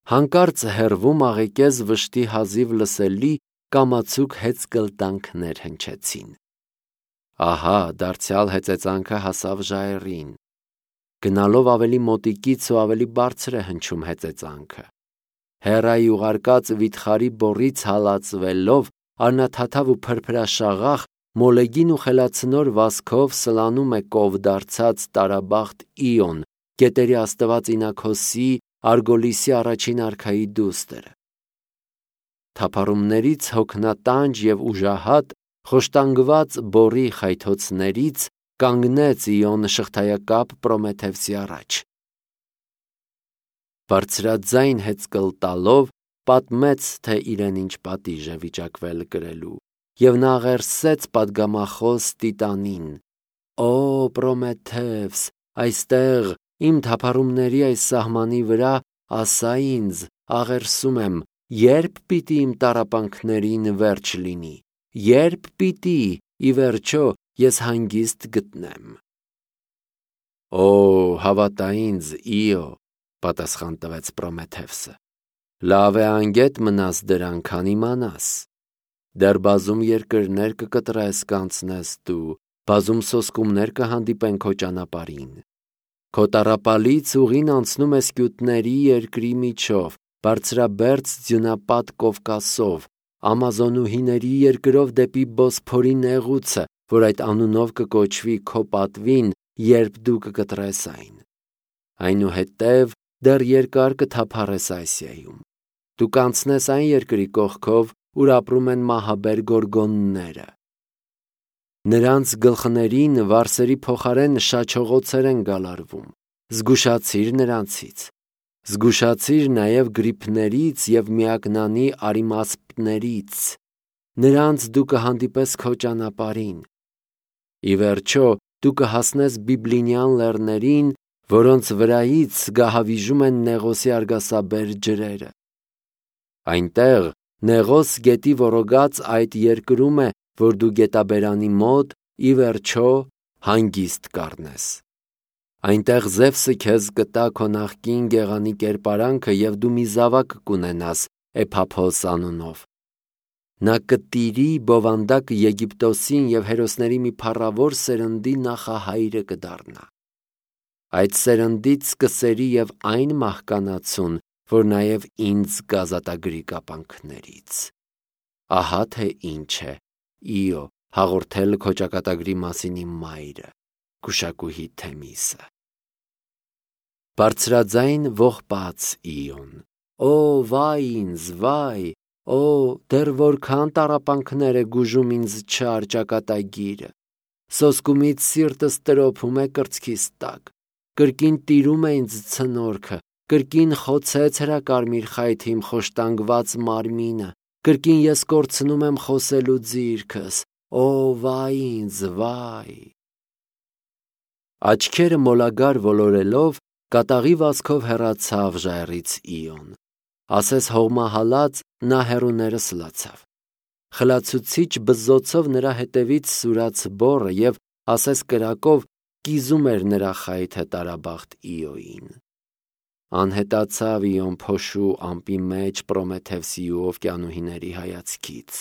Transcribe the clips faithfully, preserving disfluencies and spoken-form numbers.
Հանկարծ հեռվում աղեկեզ վշտի հազիվ լսելի կամացուկ հեծկլտանքներ հնչեցին։ Ահա, դարձյալ հեծեծանքը հասավ ժայռին։ Գնալով ավելի մոտիկից ու ավելի բարձր է հնչում հեծեծանքը։ Հեռայի ուղարկած վիթխարի բոռից հալածվելով արնաթաթավ ու փրփրաշաղախ մոլեգին ու խելացնոր վազքով սլանում է կով դարձած տարաբախտ Իոն, գետերի աստված Ինակոսի, Արգոլիսի առաջին արքայի դուստրը։ Թափառումներից հոգնատանջ և ուժահատ, խոշտանգված բոռի խայթոցներից կանգնեց Իոն շղթայակապ Պրոմեթևսի առաջ։ Բարձրաձայն հեծկլտալով պատմեց, թե իրեն ինչ պատիժ է վիճակվել կրելու, և նա աղերսեց պատգամախոս Տիտանին. «Օ, Պրոմեթևս, այստեղ, իմ թափառումների այս սահմանի վրա, ասա ինձ, աղերսում եմ, ե՞րբ պիտի իմ տառապանքներին վերջ լինի, ե՞րբ պիտի, ի վերջո, ես հանգիստ գտնեմ»։ «Օ, հավատա ինձ, Իո», պատասխան տվեց Պրոմեթևսը, «լավ է անգետ մնաս դրան, քան իմանաս։ Դեռ բազում երկրներ կկտրես, կանցնես դու, բազում սոսկումներ կհանդիպեն քո ճանապարհին։ Քո տառապալից ուղին անցնում է սկյութների երկրի միջով, բարձրաբերձ ձյունապատ Կովկասով, ամազոնուհիների երկրով դեպի Բոսփորի նեղուցը, որ այդ անունով կկոչվի քո պատվին, երբ դու կկտրես այն։ Այնուհետև դեռ երկար կթափառես Ասիայում։ Դու կանցնես այն երկրի կողքով, ուր ապրում են մահաբեր գորգոնները։ Նրանց գլխներին վարսերի փոխարեն շաչողոցեր են գալարվում։ Զգուշացիր նրանցից։ Զգուշացիր նաև գրիփներից և միակնանի արիմասպներից։ Նրանց դու կհանդիպես քո ճանապարհին։ Ի վերջո, դու կհասնես Բիբլինյան լեռներին, որոնց վրայից գահավիժում են Նեղոսի արգասաբեր ջրերը։ Այնտեղ Նեղոս գետի ոռոգած այդ երկրում է, որ դու գետաբերանի մոտ, ի վերջո, հանգիստ կառնես։ Այնտեղ Զևսը քեզ կտա քո նախկին գեղանի կերպարանքը և դու մի զավակ կունենաս Էփափոս անունով։ Նա կտիրի բովանդակ Եգիպտոսին և հերոսների մի փառավոր սերնդի նախահայրը կդառնա։ Այդ սերնդից կսերի և այն մահկանացուն, որ նաև ինձ կազատագրի կապանքներից։ Ահա թե ինչ է, Իո, հաղորդել քո ճակատագրի մասին իմ մայրը, գուշակուհի Թեմիսը։ Բարձրաձայն ողբաց Իոն. «Օ, վայ ինձ, վայ, օ, դեռ որքան տառապանքներ է գուժում ինձ չար ճակատագիրը։ Սոսկումից սիրտս տրոփում է կրծքիս տակ, կրկին տիրում է ինձ ցնորքը, կրկին խոցեց հրակարմիր խայթի իմ խոշտանգված մարմինը, կրկին ես կորցնում եմ խոսելու ձիրքս, օ, վայ ինձ, վայ»։ Աչքերը մոլագար ոլորելով, կատաղի վազքով հեռացավ ժայռից Իոն։ Ասես հողմահալած, նա հեռուներս լացավ։ Խլացուցիչ բզզոցով նրա հետևից սուրաց բոռը և ասես կրակով կիզում էր նրա խայթը տարաբախտ Իոյին։ Անհետացավ Իոն փոշու ամպի մեջ Պրոմեթևսի ու օվկիանուհիների հայացքից։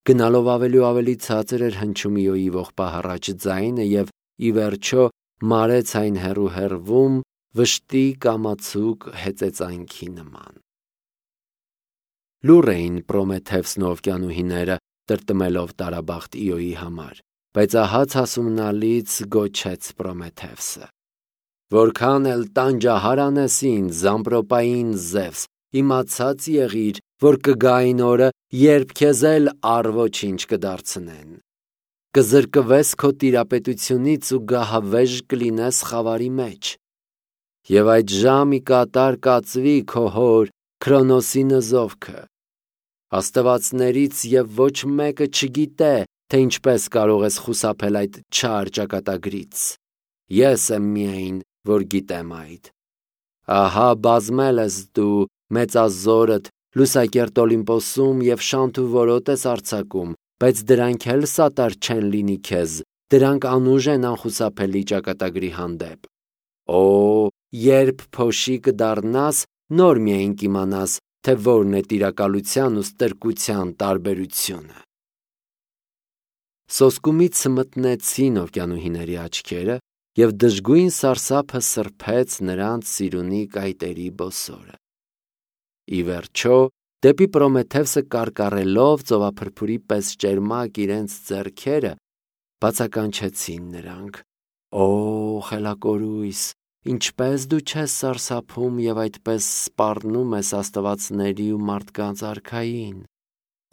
Գնալով ավելի ու ավելի ցածր էր հնչում Իոյի ողբահառաչ ձայնը և, ի վերջո, մարեց այն հեռու հեռվում վշտի կամացուկ հեծեծանքի նման։ Լուռ էին Պրոմեթևսն ու օվկիանուհիները, տրտմելով տարաբախտ Իոյի համար, բայց ահա ցասումնալից գոչեց Պրոմեթևսը. «Որքան էլ տանջահար անես ինձ, ամպրոպային Զևս, իմացած եղիր, որ կգա այն օրը, երբ քեզ էլ առ ոչինչ կդարձնեն։ Կզրկվես քո տիրապետությունից ու գահավեժ կլինես խավարի մեջ։ Եվ այդ ժամ ի կատար կածվի քո հոր Քրոնոսի նզովքը։ Աստվածներից և ոչ մեկը չգիտե, թե ինչպես կարող ես խուսափել այդ չար ճակատագրից։ Ես եմ միայն, որ գիտեմ այդ։ Ահա բազմել ես դու մեծազորդ լուսակերտ Օլիմպոսում և շանթ ու որոտ ես արձակում, բայց դրանք էլ սատար չեն լինի քեզ, դրանք անուժ են անխուսափելի ճակատագրի հանդեպ։ Օ, երբ փոշի կդառնաս, նոր միայն կիմանաս, թե որն է տիրակալության ու ստրկության տարբերությունը։ Սոսկումից մտնեցին օվկիանուհիների աչքերը, և դժգույն սարսափը սրբեց նրանց սիրունի կայտերի բոսորը։ Ի վերջո, դեպի Պրոմեթևսը կարկառելով ծովափրփուրի պես ճերմակ իրենց ձեռքերը, բացականչեցին նրանք. «Օ, խելակորույս, ինչպես դու չես սարսափում և այդպես սպառնում ես աստվածների ու մարդկանց արքային։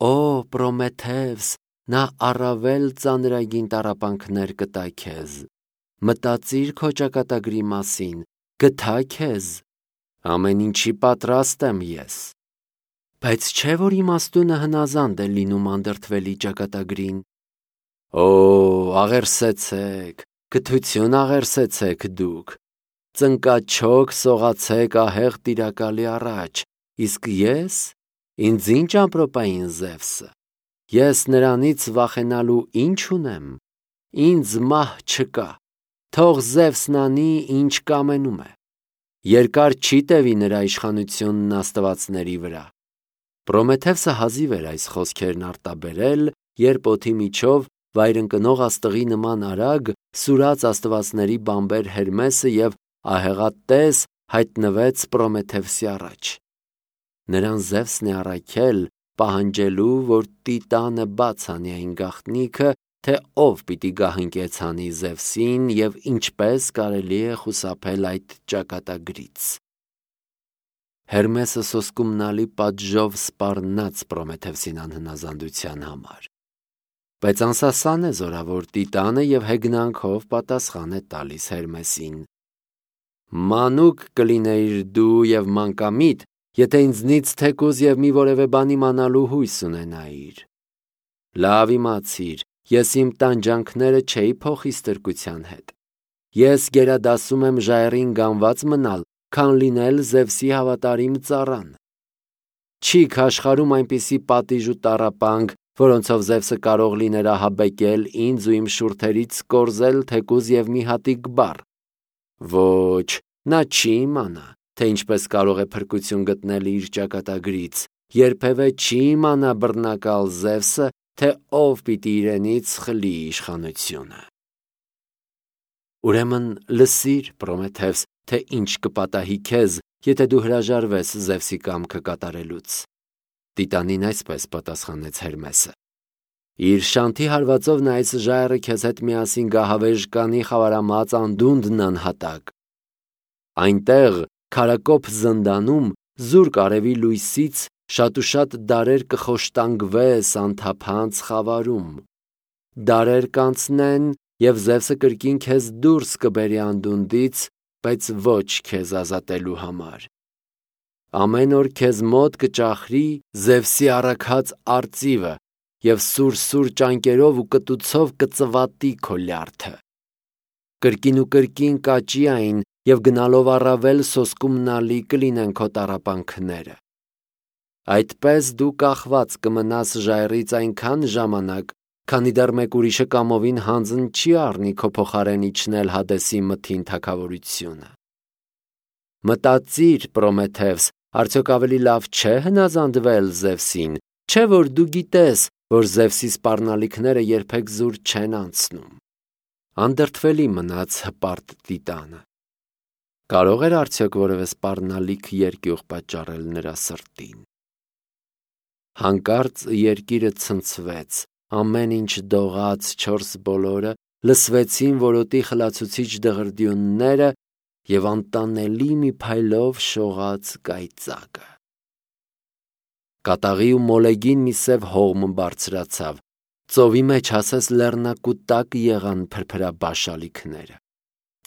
Օ, Պրոմեթևս, նա առավել ծանրագին տառապանքներ կտա քեզ։ Մտածիր քո ճակատագրի մասին, գթա քեզ։ Ամեն ինչի պատրաստ եմ ես։ Բայց չէ՞ որ իմաստունը հնազանդ է լինում անդրդվելի ճակատագրին։ Օ, աղերսեցեք, կթություն աղերսեցեք դուք, ծնկաչոք սողացեք ահեղ տիրակալի առաջ, իսկ ես, ինձ ինչ ամպրոպային Զևսը, ես նրանից վախենալու ինչ ունեմ, ինձ մահ չկա, թող Զևսն անի, ինչ կամենում է, երկար չի տևի նրա իշխանությունն աստվածների վրա։ Պրոմեթևսը հազիվ էր այս խոսքերն արտաբերել, երբ օդի միջով վայրընկնող աստղի նման արագ սուրաց աստվածների բամբեր Հերմեսը և ահեղատես հայտնվեց Պրոմեթևսի առաջ։ Նրան Զևսն է առաքել, պահանջելու, որ Տիտանը բաց անի այն գաղտնիքը, թե ով պիտի գահընկեց անի Զևսին և ինչպես կարելի է խուսափել այդ ճակատագրից։ Հերմեսը սոսկումնալի պատժով սպառնաց Պրոմեթևսին անհնազանդության համար։ Բայց անսասան է զորավոր Տիտանը և հեգնանքով պատասխան է տալիս Հերմեսին. «Մանուկ կլինեիր դու և մանկամիտ, եթե ինձնից թեկուզ և մի որևէ բան իմանալու հույս ունենայիր։ Լավ իմացիր, ես իմ տանջանքները չէի փոխի ստրկության հետ։ Ես գերադասում եմ ժայռին գանված մնալ, քան լինել Զևսի հավատարիմ ծառան։ Չի քաշխարում այնպիսի պատիժ ու տառապանք, որոնցով Զևսը կարող լիներ ահաբեկել ինձ ու իմ շուրթերից կորզել թեկուզ և մի հատիկ բառ։ Ոչ, նա չի իմանա, թե ինչպես կարող է փրկություն գտնել իր ճակատագրից, երբևէ չի իմանա բռնակալ Զևսը, թե ով պիտի իրենից խլի իշխանությունը։ Ուրեմն լսիր, Պրոմեթևս, թե ինչ կպատահի քեզ, եթե դու հրաժարվես Զևսի կամքը կատարելուց։ Տիտանին այսպես պատասխանեց Հերմեսը. Իր շանթի հարվածով նա այս ժայռը քեզ հետ միասին գահավեժ կանի խավարամած անդունդն անհատակ։ Այնտեղ, քարակոփ զնդանում, զուրկ արևի լույսից շատուշատ դարեր կխոշտանգվես անթափանց խավարում։ Դարեր կանցնեն, և Զևսը կրկին քեզ դուրս կբերի անդունդից, բայց ոչ քեզ ազատելու համար։ Ամեն օր քեզ մոտ կճախրի Զևսի առաքած արծիվը և սուր-սուր ճանկերով ու կտուցով կծվատի քո լյարդը։ Կրկին ու կրկին կաճի այն, և գնալով առավել սոսկումնալի կլինեն քո տառապանքները։ Այդպես դու կախված կմնաս ժայռից այնքան ժամանակ, քանի դեռ մեկ ուրիշը կամովին հանձն չի առնի քո փոխարեն իջնել Հադեսի մթին թագավորությունը։ Մտածիր, Պրոմեթևս, արդյոք ավելի լավ չէ հնազանդվել Զևսին, չէ՞ որ դու գիտես, որ Զևսի սպառնալիքները երբեք զուր չեն անցնում։ Անդրդվելի մնաց հպարտ Տիտանը։ Կարո՞ղ էր արդյոք որևէ սպառնալիք երկյուղ պատճառել նրա սրտին։ Հանկարծ երկիրը ցնցվեց, ամեն ինչ դողաց, չորս բոլորը, լսվեցին որոտի խլացուցիչ դղրդյունները, և անտանելի մի փայլով շողաց կայծակը։ Կատաղի ու մոլեգին մի սև հողմ բարձրացավ, ծովի մեջ ասես լեռնակուտակ եղան փրփրաբաշ ալիքները։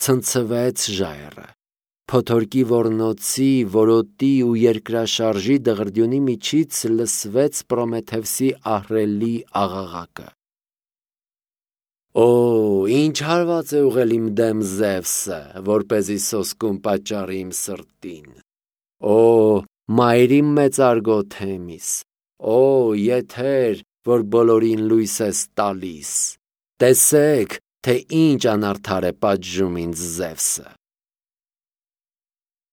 Ցնցվեց ժայռը։ Փոթորկի ոռնոցի, որոտի ու երկրաշարժի դղրդյունի միջից լսվեց Պրոմեթևսի ահռելի աղաղակը. Օ, ինչ հարված է ուղղել իմ դեմ Զևսը, որպեսզի սոսկում պատճառի իմ սրտին։ Օ, մայրիմ մեծարգո Թեմիս, օ, եթեր, որ բոլորին լույս ես տալիս, տեսեք, թե ինչ անարդար է պատժում ինձ Զևսը։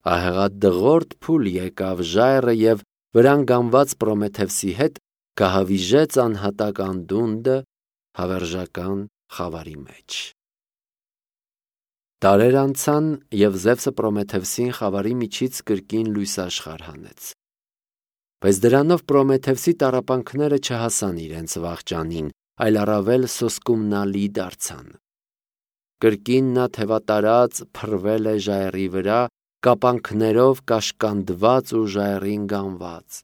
ահեղադղորդ փուլ եկավ ժայռը և վրան գանված Պրոմեթևսի հետ կահավիժեց անհատակ անդունդը հավերժական խավարի մեջ։ Տարեր անցան, և Զևսը Պրոմեթևսին խավարի միջից կրկին լույսաշխարհ հանեց։ Բայց դրանով Պրոմեթևսի տառապանքները չհասան իրենց վախճանին, այլ առավել սոսկումնալի դարձան։ Կրկին նա թևատարած փռվել է ժայռի վրա, կապանքներով կաշկանդված ու ժայռին գանված։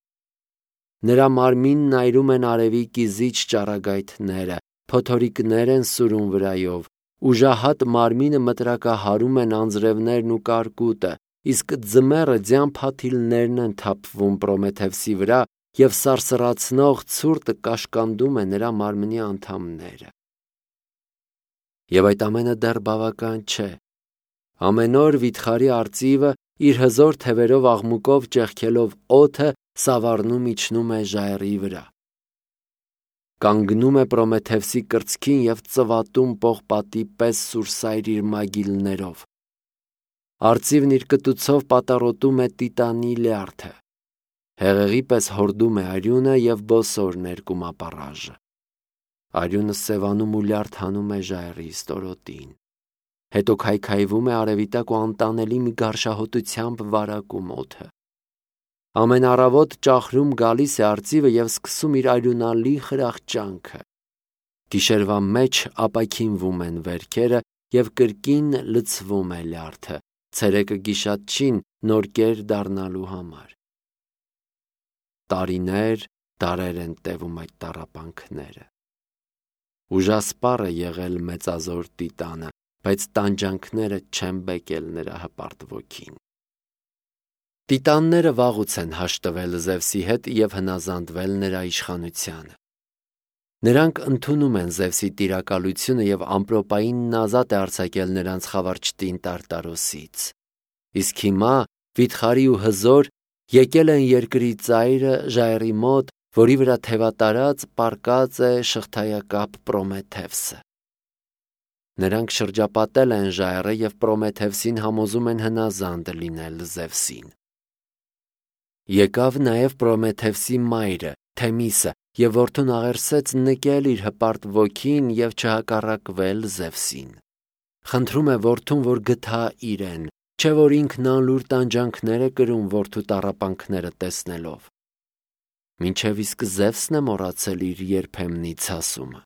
Նրա մարմինն այրում են արևի կիզիչ ճառագայթները, փոթորիկներ են սուրում վրայով, ուժահատ մարմինը մտրակահարում են անձրևներն ու կարկուտը, իսկ ձմեռը ձյան փաթիլներն են թափվում Պրոմեթևսի վրա, և սարսռացնող ցուրտը կաշկանդում է նրա մարմնի անդամները։ Եվ այդ ամենը դեռ բավական չէ։ Ամեն օր վիթխարի արծիվը իր հզոր թևերով աղմուկով ճեղքելով օդը սավառնում իջնում է ժայռի վրա։ Կանգնում է Պրոմեթևսի կրծքին և ծվատում պողպատի պես սուրսայր իր մագիլներով։ Արծիվն իր կտուցով պատառոտում է տիտանի լյարդը։ Հեղեղի պես հորդում է արյունը և բոսոր ներկում ապառաժը։ Արյունը սևանում ու լյարդ հանում է ժայռի ստորոտին։ Հետո քայքայվում է արևի տակ ու անտանելի մի գարշահոտությամբ վարակում օդը։ Ամեն առավոտ ճախրում գալիս է արծիվը և սկսում իր արյունալի խրախճանքը։ Գիշերվա մեջ ապաքինվում են վերքերը և կրկին լցվում է լյարդը, ցերեկը գիշատչին նոր կեր դառնալու համար։ Տարիներ, դարեր են տևում այդ տառապանքները։ Ուժասպառ է եղել մեծազոր Տիտանը, բայց տանջանքները չեն բեկել նրա հպարտ ոգին։ Տիտանները վաղուց են հաշտվել Զևսի հետ և հնազանդվել նրա իշխանությանը։ Նրանք ընդունում են Զևսի տիրակալությունը և ամպրոպայինն ազատ է արձակել նրանց խավարճտին Տարտարոսից։ Իսկ հիմա վիթխարի ու հզոր եկել են երկրի ծայրը ժայռի մոտ, որի վրա թևատարած պառկած է շղթայակապ Պրոմեթևսը։ Նրանք շրջապատել են ժայռը և Պրոմեթևսին համոզում են հնազանդ լինել Զևսին։ Եկավ նաև Պրոմեթևսի մայրը Թեմիսը և որդուն աղերսեց նկել իր հպարտ ոգին և չհակառակվել Զևսին։ Խնդրում է որդուն, որ գթա իրեն, չէ որ ինքն անլուր տանջանքներ է կրում որդու տառապանքները տեսնելով։ Մինչև իսկ Զևսն է մոռացել իր երբեմնի ցասումը։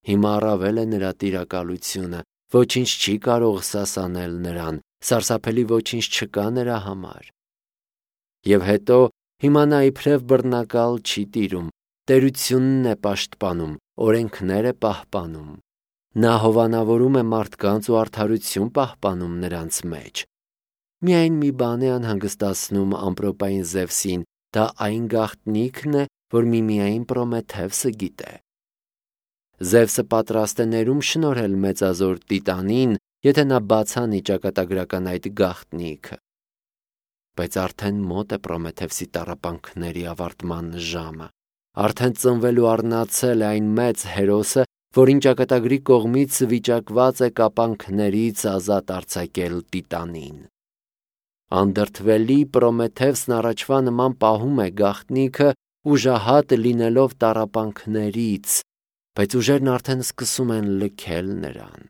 Հիմա առավել է նրա տիրակալությունը, ոչինչ չի կարող սասանել նրան, սարսափելի ոչինչ չկա նրա համար։ Եվ հետո հիմա նա իբրև բռնակալ չի տիրում, տերությունն է պաշտպանում, օրենքներ է պահպանում։ Նա հովանավորում է մարդկանց ու արդարություն պահպանում նրանց մեջ։ Միայն մի բան է անհանգստացնում ամպրոպային Զևսին, դա այն գաղտնիքն է, որ միմիայն Պրոմեթևսը գիտե։ Զևսը պատրաստ է ներում շնորհել մեծազոր Տիտանին, եթե նա բացանի ճակատագրական այդ գաղտնիքը։ Բայց արդեն մոտ է Պրոմեթևսի տառապանքների ավարտման ժամը։ Արդեն ծնվելու առնացել է այն մեծ հերոսը, որին ճակատագրի կողմից վիճակված է կապանքներից ազատ արձակել Տիտանին։ Անդրդվելի Պրոմեթևսն առաջվա նման պահում է գաղտնիքը, ուժահատ լինելով տառապանքներից, բայց ուժերն արդեն սկսում են լքել նրան։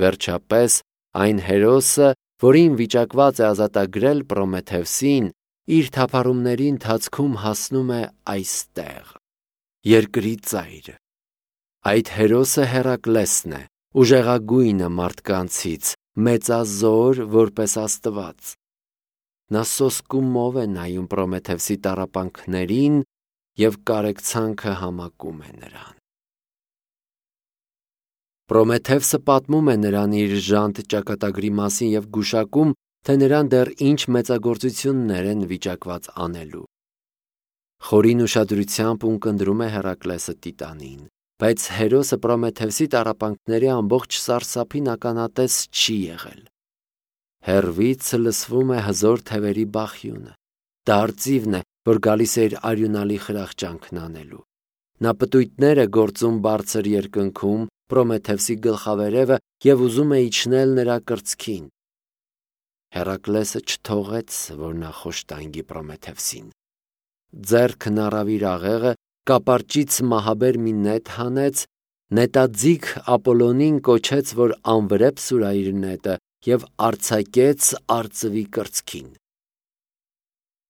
Վերջապես այն հերոսը, որին վիճակված է ազատագրել Պրոմեթևսին, իր թափառումների ընթացքում հասնում է այստեղ, երկրի ծայրը։ Այդ հերոսը Հերակլեսն է, ուժեղագույնը մարդկանցից, մեծազոր որպես Աստված։ Նա սոսկումով է նայում Պրոմեթևսի տառապանքներին և կարեկցանքը համակում է նրան։ Պրոմեթևսը պատմում է նրան իր ժանտ ճակատագրի մասին և գուշակում, թե նրան դեռ ինչ մեծագործություններ են վիճակված անելու։ Խորին ուշադրությամբ ունկնդրում է Հերակլեսը Տիտանին, բայց հերոսը Պրոմեթևսի տառապանքների ամբողջ սարսափին ականատես չի եղել։ Հեռվից լսվում է հզոր թևերի բախյունը։ Դա արծիվն է, որ գալիս է իր արյունալի խրախճանքն անելու։ Նա պտույտներ է գործում բարձր երկնքում, Պրոմեթևսի գլխավերևը և ուզում է իջնել նրա կրծքին։ Հերակլեսը չթողեց, որ նա խոշտանգի Պրոմեթևսին։ Ձեռքն առավ իր աղեղը, կապարճից մահաբեր մի նետ հանեց, նետաձիգ Ապոլոնին կոչեց, որ անվրեպ սուրա իր նետը և արձակեց արծվի կրծքին։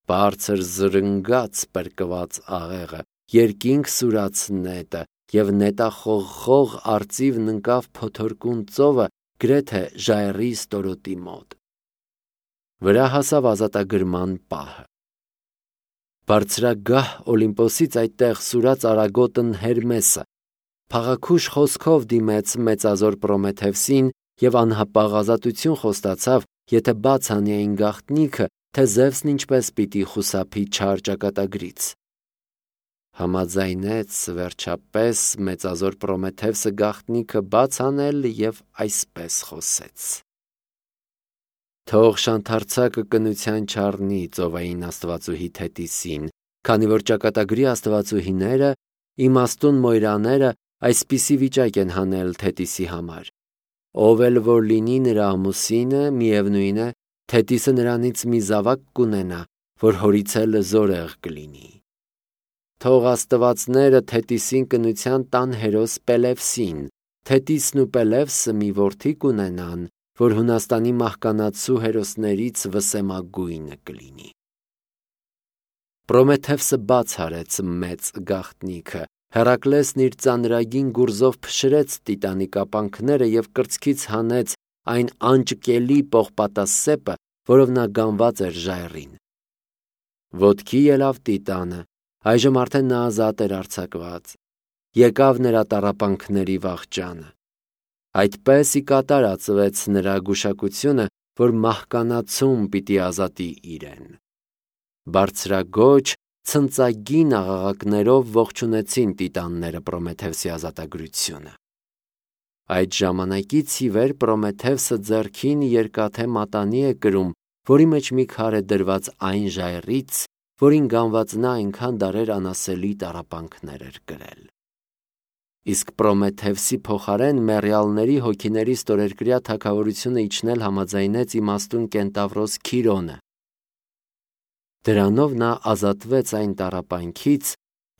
Բարձր զրնգաց պրկված աղեղը, երկինք սուրաց նետը և նետախողխող արծիվն ընկավ փոթորկուն ծովը գրեթե ժայռի ստորոտի մոտ։ Վրա հասավ ազատագրման պահը։ Բարձրագահ Օլիմպոսից այդտեղ սուրաց արագոտն Հերմեսը փաղաքուշ խոսքով դիմեց մեծազոր Պրոմեթևսին և անհապաղ ազատություն խոստացավ, եթե բաց անի այն գաղտնիքը, թե Զևսն ինչպես պիտի խուսափի չար ճակատագրից։ Համաձայնեց վերջապես մեծազոր Պրոմեթևսը գաղտնիքը բաց անել և այսպես խոսեց. Թող շանթարցակը կնության չառնի ծովային աստվածուհի Թետիսին, քանի որ ճակատագրի աստվածուհիները, իմաստուն մոյրաները այսպիսի վիճակ են հանել Թետիսի համար։ Ով էլ որ լինի նրա ամուսինը, միևնույն է, Թետիսը նրանից մի զավակ կունենա, որ հորից էլ զորեղ կլինի։ Թող աստվածները Թետիսին կնության տան հերոս Պելևսին, Թետիսն ու Պելևսը մի որդի կունենան, որ Հունաստանի մահկանացու հերոսներից վսեմագույնը կլինի։ Պրոմեթևսը բաց արեց մեծ գաղտնիքը, Հերակլեսն իր ծանրագին գուրզով փշրեց տիտանի կապանքները և կրծքից հանեց այն անճկելի պողպատասեպը, որով նա գանված էր ժայռին։ Ոտքի ելավ տիտանը, այժմ արդեն նա ազատ էր արձակված։ Եկավ նրա տառապանքների վախճանը։ Այդպես ի կատար ածվեց նրա գուշակությունը, որ մահկանացում պիտի ազատի իրեն։ Բարձրագոչ, ցնծագին աղաղակներով ողջունեցին տիտանները Պրոմեթևսի ազատագրությունը։ Այդ ժամանակից ի վեր Պրոմեթևսը ձեռքին երկաթե մատանի է կրում, որի մեջ մի քար է դրված այն ժայռից, որին գանված նա այնքան դարեր անասելի տառապանքներ էր կրել։ Իսկ Պրոմեթևսի փոխարեն մեռյալների հոգիների ստորերկրյա թագավորությունը իջնել համաձայնեց իմաստուն կենտավրոս Քիրոնը։ Դրանով նա ազատվեց այն տառապանքից,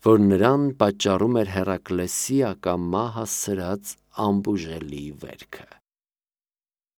որ նրան պատճառում էր Հերակլեսի ակամա հասցրած անբուժելի վերքը։